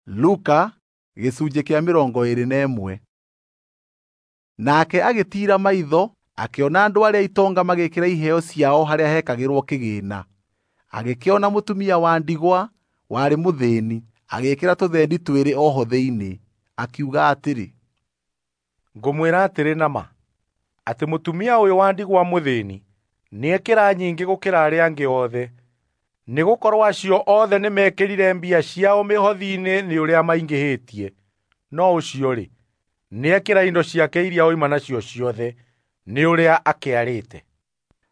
Luka gĩcunjĩ kĩa 21. Nake agĩtiira maitho akĩona andũ arĩa itonga magĩkĩra iheo ciao harĩa hekagĩrwo kĩgĩĩna. Agĩkĩona mũtumia wa ndigwa warĩ mũthĩni agĩĩkĩra tũthendi twĩrĩ o ho thĩinĩ. Akiuga atĩrĩ, "Ngũmwĩra atĩrĩ na ma, atĩ mũtumia ũyũ wa ndigwa mũthĩni nĩekĩra nyingĩ gũkĩra arĩa angĩ othe. Nĩgũkorwo acio othe nĩmekĩrire mbia ciao mĩhothi-inĩ nĩ ũrĩa maingĩhĩtie, no ũcio-rĩ, nĩekĩra indo ciake iria oima nacio ciothe nĩ ũrĩa akĩarĩte."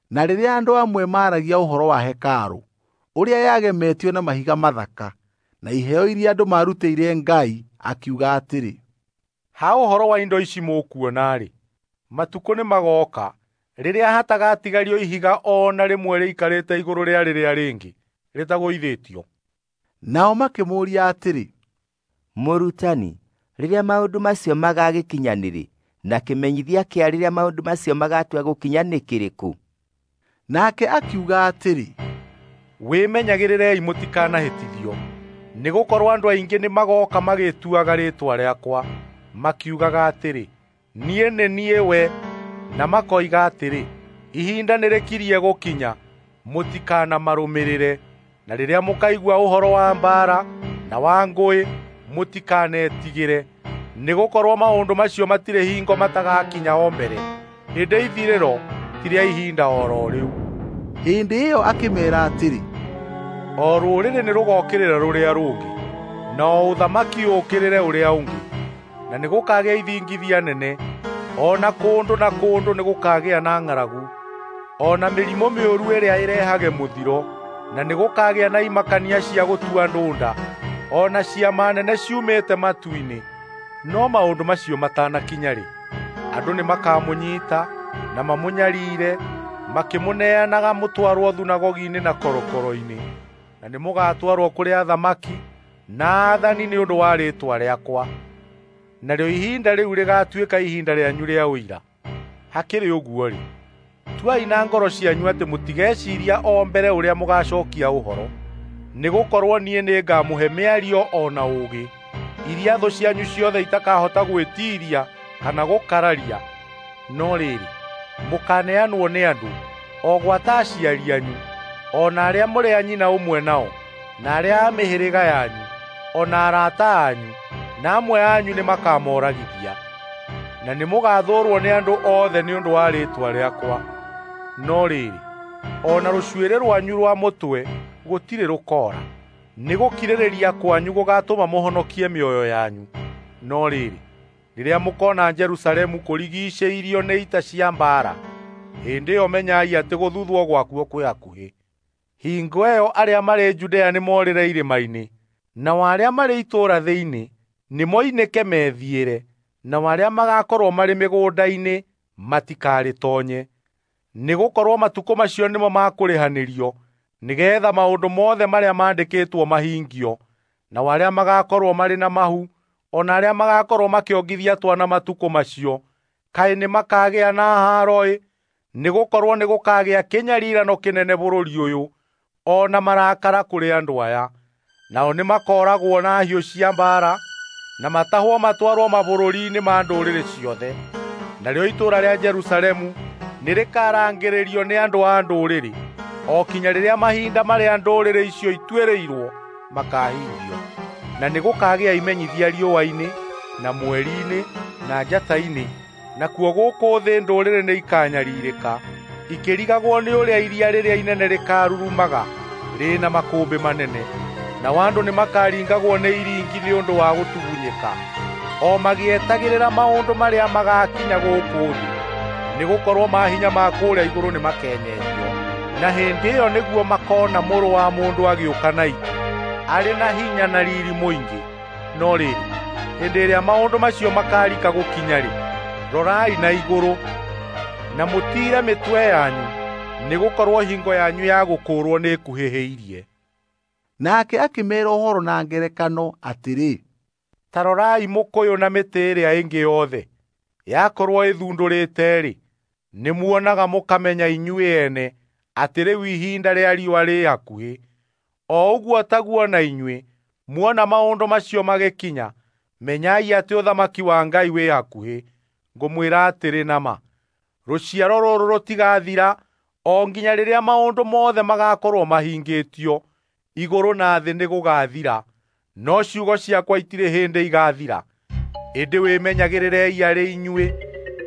Na rĩrĩa andũ amwe maaragia ũhoro wa hekarũ, ũrĩa yagemetio na mahiga mathaka, na iheo iria andũ maarutĩire Ngai, akiuga atĩrĩ, "Ha ũhoro wa indo ici mũkuona-rĩ, matukũ nĩmagooka rĩrĩa hatagatigario ihiga o na rĩmwe rĩikarĩte igũrũ rĩa rĩrĩa rĩngĩ rĩtagũithĩtio." Nao makĩmũũria atĩrĩ, "Mũrutani, rĩrĩa maũndũ macio magagĩkinya nĩ rĩ, na kĩmenyithia kĩa rĩrĩa maũndũ macio magatua gũkinya nĩ kĩrĩkũ?" Nake akiuga atĩrĩ, "Wĩmenyagĩrĩrei mũtikanahĩtithio, nĩgũkorwo andũ aingĩ nĩmagooka magĩĩtuaga rĩĩtwa rĩakwa, makiugaga atĩrĩ, 'Niĩ nĩ niĩ we,' na makoiga atĩrĩ, 'Ihinda nĩrĩkirie gũkinya.' Mũtikanamarũmĩrĩre. Na rĩrĩa mũkaigua ũhoro wa mbaara na wa ngũĩ, mũtikanetigĩre, nĩgũkorwo maũndũ macio matirĩ hingo matagakinya o mbere, ĩndĩ ithirĩro ti rĩa ihinda o ro rĩu." Hĩndĩ ĩyo akĩmeera atĩrĩ, "O rũrĩrĩ nĩrũgokĩrĩra rũrĩa rũngĩ, na o ũthamaki ũũkĩrĩre ũrĩa ũngĩ, na nĩgũkagĩa ithingithia nene, o na kũndũ na kũndũ nĩgũkagĩa na ng'aragu, o na mĩrimũ mĩũru ĩrĩa ĩrehage mũthiro, na nĩgũkagĩa na imakania cia gũtua andũ nda, o na ciama nene ciumĩte matu-inĩ. No maũndũ macio matanakinya-rĩ, andũ nĩmakamũnyiita na mamũnyariire, makĩmũneanaga mũtwarwo thunagogi-inĩ na korokoro-inĩ, na nĩmũgatwarwo kũrĩ athamaki na aathani nĩ ũndũ wa rĩĩtwa rĩakwa. Narĩo ihinda rĩu rĩgaatuĩka ihinda rĩanyu rĩa ũira. Hakĩrĩ ũguo-rĩ, tuai na ngoro cianyu atĩ mũtigeciiria o mbere ũrĩa mũgacookia ũhoro, nĩgũkorwo niĩ nĩngamũhe mĩario o na ũũgĩ, iria thũ cianyu ciothe itakahota gwĩtiiria kana gũkararia. No rĩrĩ, mũkaaneanwo nĩ andũ, o gwata aciari anyu, o na arĩa mũrĩ a nyina ũmwe nao, na arĩa a mĩhĩrĩga yanyu, o na arata anyu, na amwe anyu nĩmakamoragithia. Na nĩmũgathũũrwo nĩ andũ othe nĩ ũndũ wa rĩĩtwa rĩakwa. No rĩrĩ, o na rũcuĩrĩ rwanyu rwa mũtwe gũtirĩ rũkoora. Nĩgũkirĩrĩria kwanyu gũgaatũma mũhonokie mĩoyo yanyu. No rĩrĩ, rĩrĩa mũkoona Jerusalemu kũrigiicĩirio nĩ ita cia mbaara, hĩndĩ ĩyo menyai atĩ gũthuthwo gwakuo kwĩ hakuhĩ. Hingo ĩyo arĩa marĩ Judea nĩmorĩre irĩma-inĩ, nao arĩa marĩ itũũra thĩinĩ nĩmoinĩke methiĩre, nao arĩa magaakorwo marĩ mĩgũnda-inĩ matikarĩtoonye. Nĩgũkorwo matukũ macio nĩmo ma kũrĩhanĩrio, nĩgeetha maũndũ mothe marĩa maandĩkĩtwo mahingio. Nao arĩa magaakorwo marĩ na mahu, o na arĩa magaakorwo makĩongithia twana matukũ macio, kaĩ nĩmakagĩa na haaro-ĩ! Nĩgũkorwo nĩgũkagĩa kĩnyariirano kĩnene bũrũri ũyũ, o na marakara kũrĩ andũ aya. Nao nĩmakooragwo na hiũ cia mbaara, na matahwo matwarwo mabũrũri-inĩ ma ndũrĩrĩ ciothe. Narĩo itũũra rĩa Jerusalemu nĩrĩkarangĩrĩrio nĩ andũ a ndũrĩrĩ, o kinya rĩrĩa mahinda marĩa ndũrĩrĩ icio ituĩrĩirwo makaahingio. Na nĩgũkagĩa imenyithia riũa-inĩ, na mweri-inĩ, na njata-inĩ, nakuo gũkũ thĩ ndũrĩrĩ nĩikanyariirĩka, ikĩrigagwo nĩ ũrĩa iria rĩrĩa inene rĩkaarurumaga rĩna makũmbĩ manene. Nao andũ nĩmakaringagwo nĩ iringi nĩ ũndũ wa gũtugunyĩka, o magĩetagĩrĩra maũndũ marĩa magaakinya gũkũ thĩ, nĩgũkorwo maahinya ma kũrĩa igũrũ nĩmakenyenyio. Na hĩndĩ ĩyo nĩguo makoona Mũrũ wa Mũndũ agĩũka na itu, arĩ na hinya na riiri mũingĩ. No rĩrĩ, hĩndĩ ĩrĩa maũndũ macio makaarika gũkinya-rĩ, rorai na igũrũ na mũtiire mĩtwe yanyu, nĩgũkorwo hingo yanyu ya gũkũũrwo nĩĩkuhĩhĩirie. Nake akĩmeera ũhoro na ngerekano atĩrĩ, "Ta rorai mũkũyũ na mĩtĩ ĩrĩa ĩngĩ yothe. Yakorwo ĩthundũrĩte-rĩ, nĩmuonaga mũkamenya inyuĩ ene atĩ rĩu ihinda rĩa riũa rĩ hakuhĩ. O ũguo taguo na inyuĩ, Muona maũndũ macio magĩkinya, menyai atĩ ũthamaki wa Ngai wĩ hakuhĩ. Ngũmwĩra atĩrĩ na ma, rũciaro rũrũ rũtigathira o nginya rĩrĩa maũndũ mothe magakorwo mahingĩtio. Igũrũ na thĩ nĩgũgathira, no ciugo ciakwa itirĩ hĩndĩ igathira. Ĩndĩ wĩmenyagĩrĩrei arĩ inyuĩ,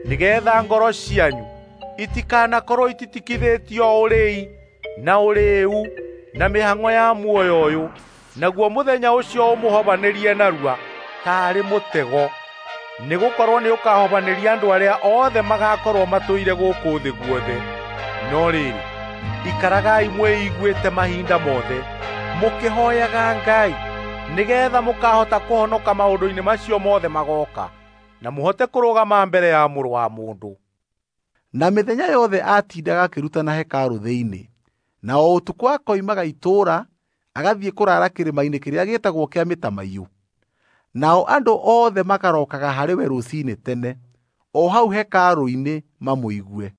nĩgeetha ngoro cianyu itikanakorwo ititikithĩtio ũrĩi na ũrĩĩu na mĩhang'o ya muoyo ũyũ, naguo mũthenya ũcio ũmũhobanĩrie narua taarĩ mũtego. Nĩgũkorwo nĩũkahobanĩria andũ arĩa othe magakorwo matũire gũkũ thĩ guothe. No rĩrĩ, ikaragai mwĩiguĩte mahinda mothe, mũkĩhooyaga Ngai, nĩgeetha mũkaahota kũhonoka maũndũ-inĩ macio mothe magooka, na mũhote kũrũgama mbere ya Mũrũ wa Mũndũ. Na mĩthenya yothe aatindaga akĩrutana hekarũ thĩinĩ, na o ũtukũ akoimaga itũũra agathiĩ kũraara kĩrĩma-inĩ kĩrĩa gĩtagwo kĩa Mĩtamaiyũ. Nao andũ othe makarokaga harĩ we rũciinĩ tene, o hau hekarũ-inĩ mamũigue.